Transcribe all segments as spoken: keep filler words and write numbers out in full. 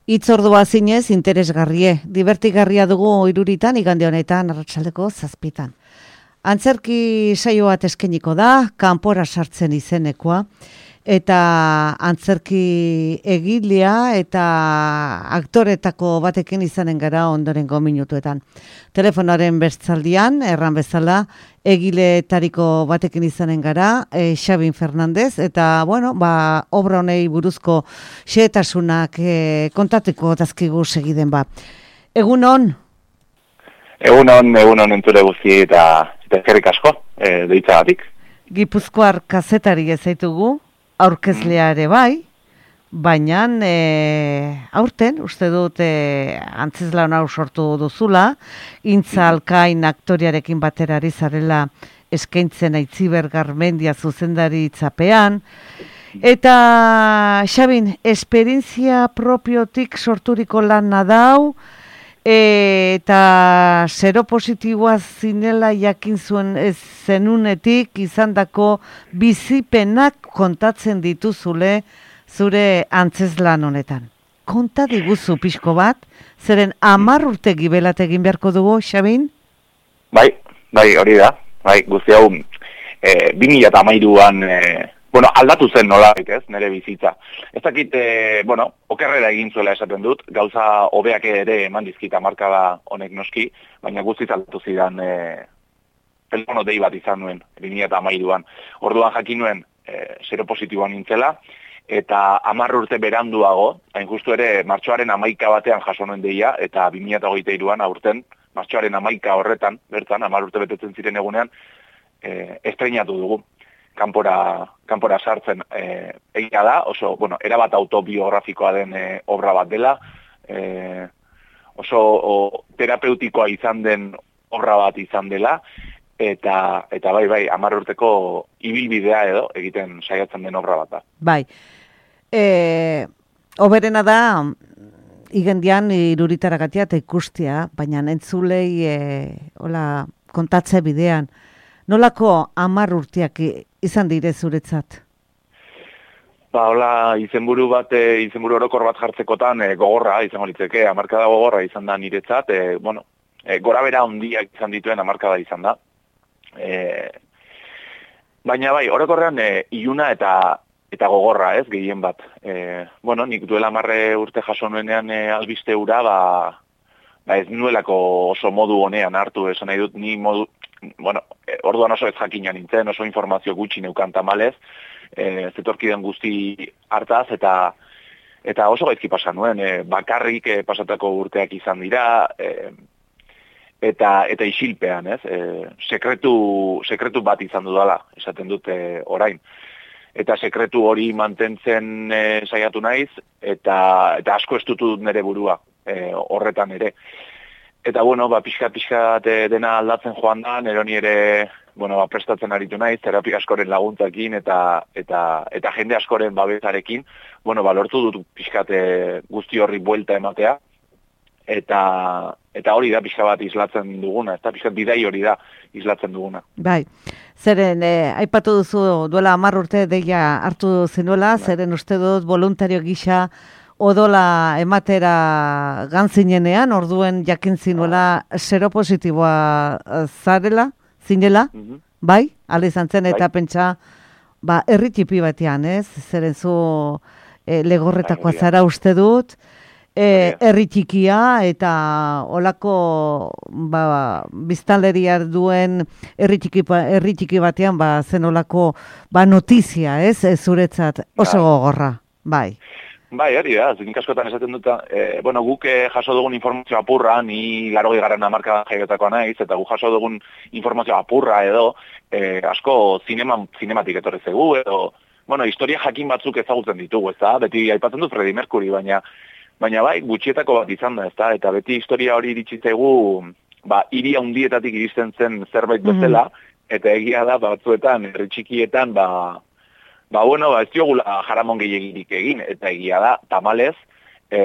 Itzordua zinez interesgarrie, divertigarria dugu iruritan, igande honetan, arratsaldeko zazpitan. Antzerki saio bat eskeniko da, kanpora sartzen izenekoa, eta antzerki egilea eta aktoretako batekin izanen gara ondorengo minutuetan. Telefonoaren bestaldian, erran bezala, egiletariko batekin izanen gara, e, Xabin Fernandez, eta, bueno, ba, obra honei buruzko xehetasunak e, kontateko dazkigu segiden ba. Egun hon? Egun hon, egun hon entzule guzti eta eskerrik asko, e, deitzagatik. Gipuzkoar kazetari ezaitugu, aurkezlea ere bai, baina e, aurten, uste dut e, antzezlan hau sortu duzula, Intza Alkain aktoriarekin baterari zarela eskaintzen Aitziber Garmendia zuzendari itzapean, eta Xabin, esperientzia propiotik sorturiko lana dau, e, eta seropositiboa zinela jakin zuen ez zenunetik izandako bizipenak kontatzen dituzule zure antzezlan honetan. Konta diguzu pixko bat, zeren hamar urte gibelat egin beharko dugu, Xabin? Bai, bai, hori da. Bai, guzti hau, e, bi mila hamairuan, e, bueno, aldatu zen nolaik ez, nire bizitza. Ez dakit, e, bueno, okerrera egin zuela esaten dut, gauza hobeak ere eman dizkita markada honek noski, baina guztiz aldatu zidan e, telefono dei bat izan nuen, bi mila hamairuan. Orduan jakin nuen, e, seropositiboan nintzela, eta hamar urte beranduago, hain justu ere martxoaren hamaika batean jaso nuen deia, eta bi mila hogeita hiruan aurten, martxoaren hamaika horretan, bertan, hamar urte betetzen ziren egunean, e, estreinatu dugu, kanpora, kanpora sartzen e, egia da, oso, bueno, erabat autobiografikoa den e, obra bat dela, e, oso o, terapeutikoa izan den obra bat izan dela, eta, eta bai, bai, hamar urteko ibilbidea edo egiten saiatzen den obra bat da. Bai, e, oberena da, igendian iruritaragatia eta ikustia, baina entzulei e, hola, kontatze bidean, nolako hamar urteak izan dire zuretzat? Ba, hola, izenburu bat, e, izenburu orokor bat jartzekotan e, gogorra izango litzeke, hamarkada gogorra izan da niretzat, e, bueno, e, gora bera handiak izan dituen hamarkada izan da. E, baina bai, orokorrean e, iluna eta eta gogorra, ez, gehien bat. E, bueno, nik duela marre urte jaso nuenean e, albiste hura, ba, ba ez nuelako oso modu honean hartu, esan nahi dut, ni modu, bueno, e, orduan oso ez jakina nintzen, oso informazio gutxi neukan tamalez, e, zetorkiden guzti hartaz, eta eta oso gaizki pasa nuen, e, bakarrik e, pasatako urteak izan dira, e, eta eta isilpean, ez, e, sekretu, sekretu bat izan dudala, esaten dute orain. Eta sekretu hori mantentzen e, saiatu naiz, eta, eta asko estutu dut nire burua e, horretan ere. Eta, bueno, ba, pixkat-pixkat dena aldatzen joan da, neroni ere, bueno, ba, prestatzen aritu naiz, terapia askoren laguntzakin eta, eta, eta jende askoren babezarekin, bueno, ba, lortu dut pixkat guzti horri buelta ematea, eta, eta hori da pixka bat islatzen duguna, eta pixkat bidai hori da islatzen duguna. Bai. Zeren, eh, aipatu duzu duela hamar urte deia hartu zenuela, bai. Zeren uste dut voluntario gisa odola ematera gantzinenean, orduen jakin zinuela seropositiboa zarela, zinela, mm-hmm. Bai? Hala izan zen, eta bai. Pentsa, ba, herri txipi batean, ez? Zeren zu eh, legorretakoa zara uste dut, E, herri txikia eta olako ba, biztanleria duen herri txiki, herri txiki batean ba, zen olako ba, notizia, ez, ez zuretzat oso gogorra, bai. Bai, hori da, nik askotan esaten dut, e, bueno, guk e, jaso dugun informazio apurra, ni larogei garren hamarka jaiotakoa naiz, eta guk jaso dugun informazio apurra edo, e, asko zinema, zinematik etorri zegu, edo, bueno, historia jakin batzuk ezagutzen ditugu, ez da, beti aipatzen dut Freddie Mercury, baina Baina bai, gutxietako bat izan da, ezta? Eta beti historia hori iritsi zaigu, ba, hiri handietatik iristen zen zerbait bezala, mm-hmm. Eta egia da, batzuetan, herri txikietan, ba, ba, bueno, ba, ez diogula jaramon gehiegirik egin, eta egia da, tamalez, e,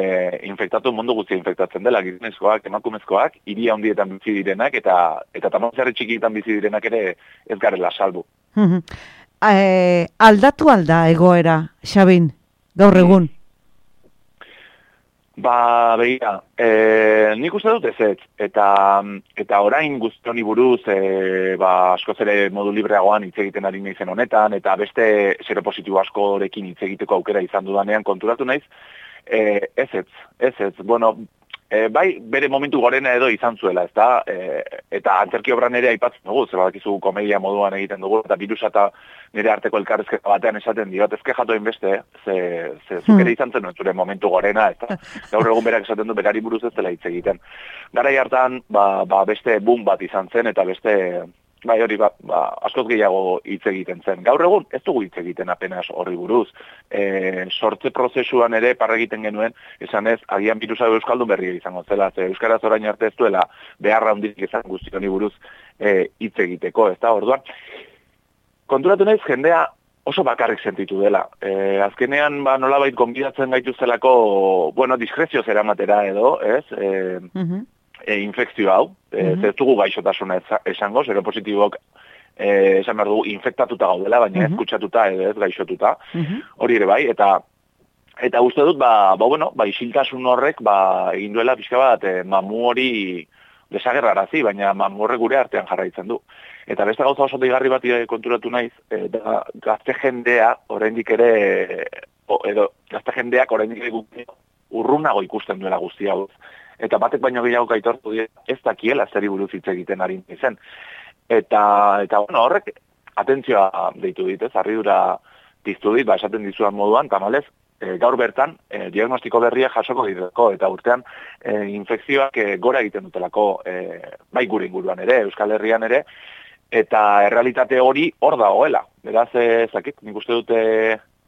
infektatu mundu guztia infektatzen dela, gizonezkoak, emakumezkoak, hiri handietan bizi direnak, eta, eta tamalez herri txikietan bizi direnak ere ez garela salbu. Mm-hmm. E, aldatu alda egoera, Xabin, gaur egun? Ba, begira, e, nik uste dut ez, eta, eta orain guztioni buruz, e, ba, askoz ere modu libreagoan hitz egiten ari naizen honetan, eta beste seropositibo askorekin hitz egiteko aukera izan dudanean konturatu naiz, e, ez ez, ez ez, bueno, e, bai bere momentu gorena edo izan zuela, ezta, e, eta antzerki obran ere aipatzen dugu, zer badakizu komedia moduan egiten dugu, eta birusa eta nire arteko elkarrezketa batean esaten diot, ezke jatu hainbeste, ze, ze zuk ere izan zen zure momentu gorena, eta gaur egun berak esaten du berari buruz ez dela hitz egiten. Garai hartan, ba, ba beste boom bat izan zen, eta beste, bai hori, ba, ba, askoz gehiago hitz egiten zen. Gaur egun ez dugu hitz egiten apenas horri buruz. E, sortze prozesuan ere parra egiten genuen, esan ez, agian birusa euskaldun berria izango zela, ze euskaraz orain arte ez duela beharra handik izan guzti honi buruz hitz e, egiteko, ez da, orduan. Konturatu naiz, jendea oso bakarrik sentitu dela. E, azkenean, ba, nolabait gonbidatzen gaituztelako, bueno, diskrezioz eramatera edo, ez? E, uh-huh. e, infekzio hau, e, uh-huh. ez dugu gaixotasuna esango, seropositibok e, esan behar dugu infektatuta gaudela, baina uh-huh. ez kutsatuta edo ez gaixotuta, uh-huh. hori ere bai, eta eta uste dut, ba, ba, bueno, ba, isiltasun horrek, ba, egin duela pixka bat, e, mamu hori desagerrarazi, baina mamu horrek gure artean jarraitzen du. Eta beste gauza oso deigarri bat konturatu naiz, e, da, gazte jendea, oraindik ere, o, edo, gazte jendeak oraindik ere urrunago ikusten duela guzti hau. Eta batek baino gehiago gaitortu dira, ez dakiela zeri buruz hitz egiten ari zen. Eta, eta bueno, horrek, atentzioa deitu dit, ez, harridura piztu dit, ba, esaten dizuan moduan, tamalez, e, gaur bertan, e, diagnostiko berria jasoko diteko, eta urtean, e, infekzioak e, gora egiten dutelako, e, bai gure inguruan ere, Euskal Herrian ere, eta errealitate hori hor dagoela. Beraz, ezakit, nik uste dute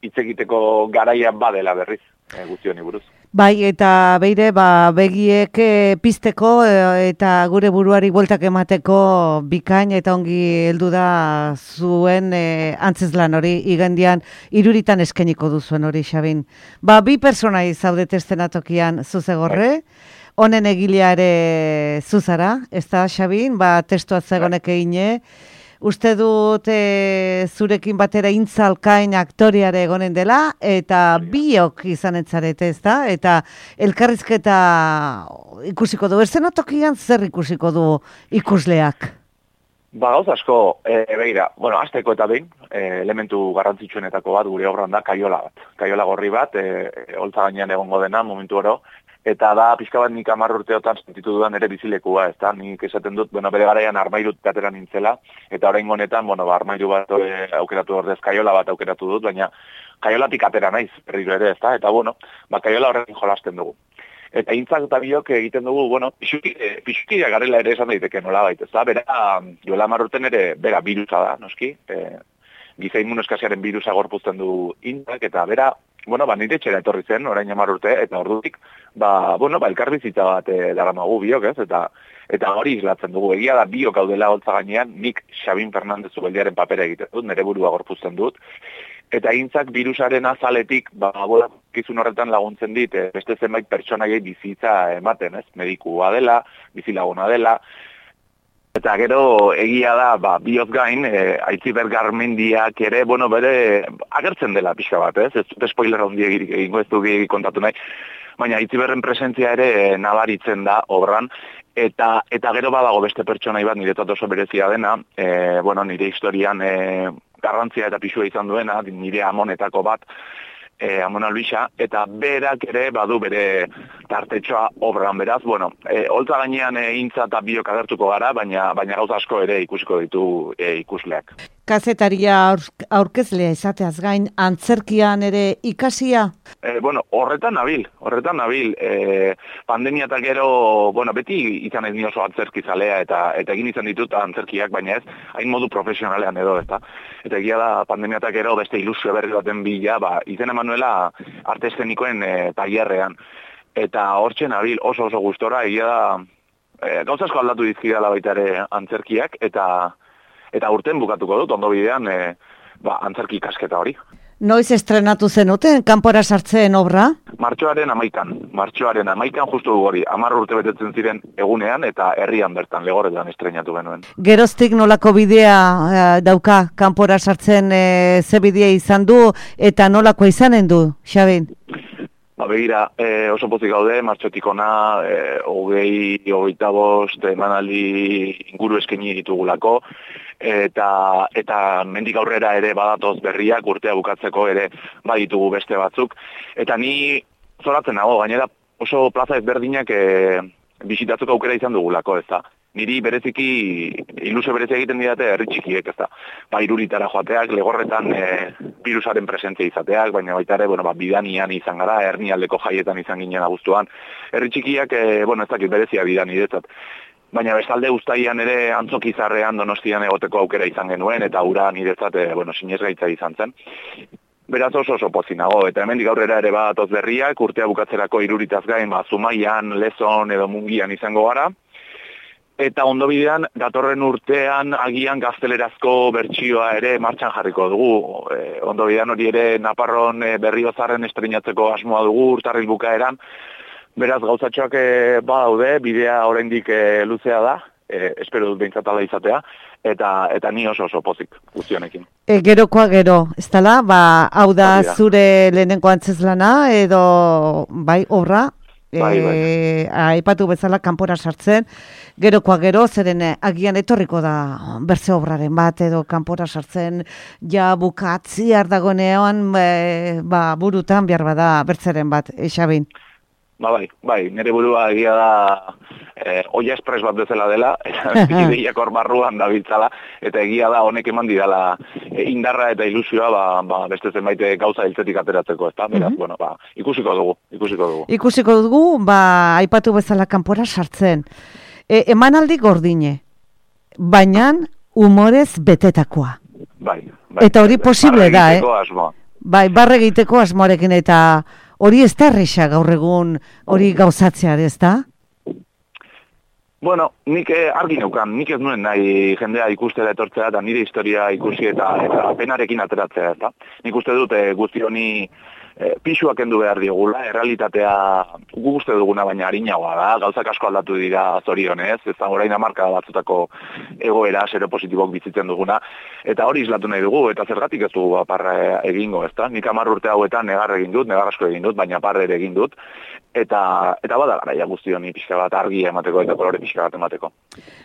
hitz egiteko garaian badela berriz, e, guzti honi buruz. Bai, eta beire, ba, begiek e, pizteko e, eta gure buruari bueltak emateko bikain eta ongi heldu da zuen e, antzeslan hori, igandian iruritan eskeniko duzuen hori, Xabin. Ba, bi persona zaudete estenatokian zuzegorre, honen egilea ere zuzara, ez da, Xabin, ba, testua zegonek egine, uste dut e, zurekin batera intzalkain aktoriare egonen dela, eta biok izan etzarete, ez da? Eta elkarrizketa ikusiko du, estenatokian zer ikusiko du ikusleak? Ba, gauz asko, e, begira, bueno, azteko eta behin, e, elementu garrantzitsuenetako bat gure obran da kaiola bat. Kaiola gorri bat, e, e, holtza gainean egongo dena, momentu oro, eta da, pixka bat nik hamar urteotan sentitu dudan ere bizilekua, ez da, nik esaten dut, bueno, bere garaian armairut atera nintzela, eta orain honetan, bueno, ba, armairu bat e, aukeratu ordez, kaiola bat aukeratu dut, baina kaiolatik atera naiz, berriro ere, ez da, eta bueno, ba, kaiola horrekin jolasten dugu. Eta intzak eta biok egiten dugu, bueno, pixukiria garela ere esan daiteke nola baita, ez da, bera, duela hamar urten ere, bera, birusa da, noski, e, giza immunoskasiaren birusa gorpuzten du intzak, eta bera, bueno, ba, nire txera etorri zen, orain hamar urte, eta ordutik, ba, bueno, ba, elkarbizitza bat e, daramagu biok, ez, eta eta hori islatzen dugu. Egia da biok gaudela holtza gainean, nik Xabin Fernandez Ubeldiaren papera egiten dut, nire burua gorpuzten dut, eta intzak birusaren azaletik, ba, bola, kizun horretan laguntzen dit, e, beste zenbait pertsonaiei bizitza ematen, ez, medikua dela, bizilaguna dela, eta gero egia da, ba, bioz gain, e, Aitziber Garmendiak ere, bueno, bere, agertzen dela pixka bat, ez? Ez dut spoiler handi egingo ez du kontatu nahi, baina Aitziberren presentzia ere e, nabaritzen da obran, eta eta gero badago beste pertsonai bat niretzat oso berezia dena, e, bueno, nire historian e, garrantzia eta pisua izan duena, nire amonetako bat, E, Amon Albisa, eta berak ere badu bere tartetxoa obran, beraz, bueno, e, holtza gainean e, intza eta biok agertuko gara, baina baina gauza asko ere ikusiko ditu e, ikusleak. Kazetaria aurkezlea izateaz gain, antzerkian ere ikasia? E, bueno, horretan nabil, horretan nabil. E, pandemia eta gero, bueno, beti izan ez ni oso antzerkizalea eta eta egin izan ditut antzerkiak, baina ez, hain modu profesionalean edo, ezta. Eta egia da, pandemia eta gero beste ilusio berri baten bila, ba, izen Emanuela arte eszenikoen e, tailerrean. Eta hortzen nabil, oso oso gustora, egia da, e, gauza asko aldatu dizkidala baita ere antzerkiak, eta eta urten bukatuko dut, ondo bidean, e, ba, antzerki ikasketa hori. Noiz estrenatu zenuten, kanpora sartzen obra? Martxoaren amaikan, martxoaren amaikan justu hori, hamar urte betetzen ziren egunean, eta herrian bertan, Legorretan estrenatu genuen. Geroztik nolako bidea e, dauka, kanpora sartzen e, ze bidea izan du, eta nolako izanen du, Xabin? Ba, begira, e, oso pozik gaude, martxotik ona, e, hogei, hogeita bost, emanaldi inguru eskaini ditugulako, eta eta mendik aurrera ere badatoz berriak, urtea bukatzeko ere baditugu beste batzuk. Eta ni zoratzen nago, gainera oso plaza ezberdinak e, bisitatzeko aukera izan dugulako, ez da. Niri bereziki, ilusio berezi egiten didate herri txikiek, ez da. Ba, Iruritara joateak, Legorretan e, virusaren presentzia izateak, baina baita ere, bueno, ba, Bidanian izan gara, Hernialdeko jaietan izan ginen abuztuan. Herri txikiak, e, bueno, ez dakit berezia Bidani detzat. Baina bestalde Uztaian ere Antzokizarrean Donostian egoteko aukera izan genuen, eta ura niretzat, e, bueno, sinesgaitza izan zen. Beraz oso oso pozik nago, eta hemendik aurrera ere badatoz berriak, urtea bukatzerako Iruritaz gain, ba, Zumaian, Lezon edo Mungian izango gara. Eta ondo bidean, datorren urtean agian gaztelerazko bertsioa ere martxan jarriko dugu. E, ondo bidean hori ere Naparron e, Berriozarren estreinatzeko asmoa dugu urtarril bukaeran. Beraz gauzatxoak e, badaude, bidea oraindik e, luzea da, e, espero dut behintzat ala izatea, eta eta ni oso oso pozik guztionekin. E, gerokoa gero, ez dela, ba, hau da zure lehenengo antzezlana edo bai obra? Bai, bai. E, aipatu bezala kanpora sartzen, gerokoa gero, zeren agian etorriko da bertze obraren bat, edo kanpora sartzen ja bukatziar dagoenean e, ba, burutan behar bada bertzeren bat, e, Xabin? Ba, bai, bai, nire burua egia da eh, oia espres bat bezala dela, eta ideiak hor barruan dabiltzala, eta egia da honek eman didala e, indarra eta ilusioa ba, ba, beste zenbait gauza hiltzetik ateratzeko, ez da? Beraz, mm-hmm. bueno, ba, ikusiko dugu, ikusiko dugu. Ikusiko dugu, ba, aipatu bezala kanpora sartzen. E, emanaldi gordine, baina humorez betetakoa. Bai, bai. Eta hori posible da, eh? Asmoa. Bai, barre egiteko asmoarekin, eta hori ez da erresa gaur egun hori gauzatzea, ez da? Bueno, nik argi neukan, nik ez nuen nahi jendea ikustera etortzea eta nire historia ikusi eta, eta penarekin ateratzea, ez da? Nik uste dut e, guzti honi e, pixuak kendu behar diogula, errealitatea gu uste duguna baina harinagoa da, gauzak asko aldatu dira zorionez, ez da orain hamarka batzutako egoera seropositibok bizitzen duguna, eta hori islatu nahi dugu, eta zergatik ez dugu aparra egingo, ez da? Nik hamar urte hauetan negar egin dut, negar asko egin dut, baina parre ere egin dut, eta eta bada garaia guzti honi pixka bat argia emateko eta kolore pixka bat emateko.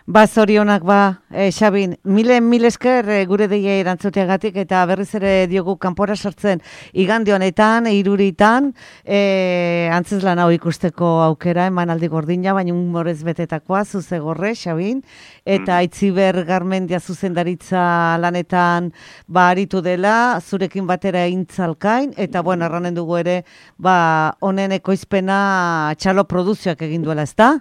Ba, zorionak ba, e, Xabin, milen mil esker e, gure deia erantzuteagatik eta berriz ere diogu kanpora sartzen igande honetan, Iruritan, e, antzezlan hau ikusteko aukera, emanaldi gordina, baina humorez betetakoa, zuzegorre, Xabin, eta mm. Aitziber Garmendia zuzendaritza lanetan ba, aritu dela, zurekin batera intzalkain, eta bueno, erranen dugu ere, ba, honen ekoizpena txalo produzioak egin duela, ez da?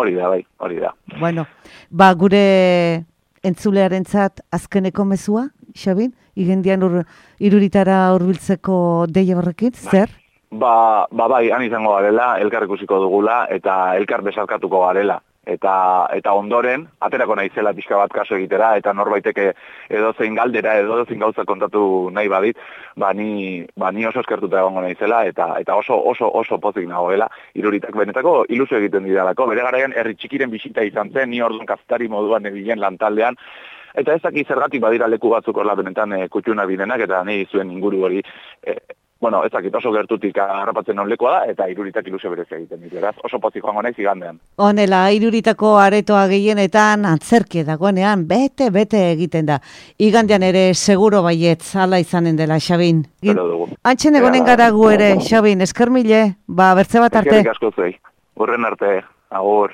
Hori da, bai, hori da. Bueno, ba, gure entzulearentzat azkeneko mezua, Xabin? Igendian ur, Iruritara hurbiltzeko deia horrekin, zer? Ba, ba, bai, han izango garela, elkar ikusiko dugula, eta elkar besarkatuko garela. Eta eta ondoren, aterako naizela pixka bat kaso egitera, eta norbaiteke edozein galdera, edozein gauza kontatu nahi badit, ba ni, ba ni oso eskertuta egongo naizela, eta eta oso oso oso pozik nagoela, Iruritak benetako ilusio egiten didalako. Bere garaian herri txikiren bisita izan zen, ni orduan kazetari moduan ebilen lantaldean, eta ez dakit zergatik badira leku batzuk horla benetan e, kutxuna bidenak, eta nahi zuen inguru hori, e, bueno, ez dakit oso gertutik harrapatzen on lekua da, eta Iruritak ilusio berezia egiten ditu, beraz, oso pozik joango naiz igandean. Honela, Iruritako aretoa gehienetan antzerki dagoenean bete bete egiten da. Igandean ere seguro baietz hala izanen dela, Xabin. Antxen egonen gara gu ere, Xabin, esker mile, ba bertze bat arte. Eskerrik asko zuei. Horren arte, agur.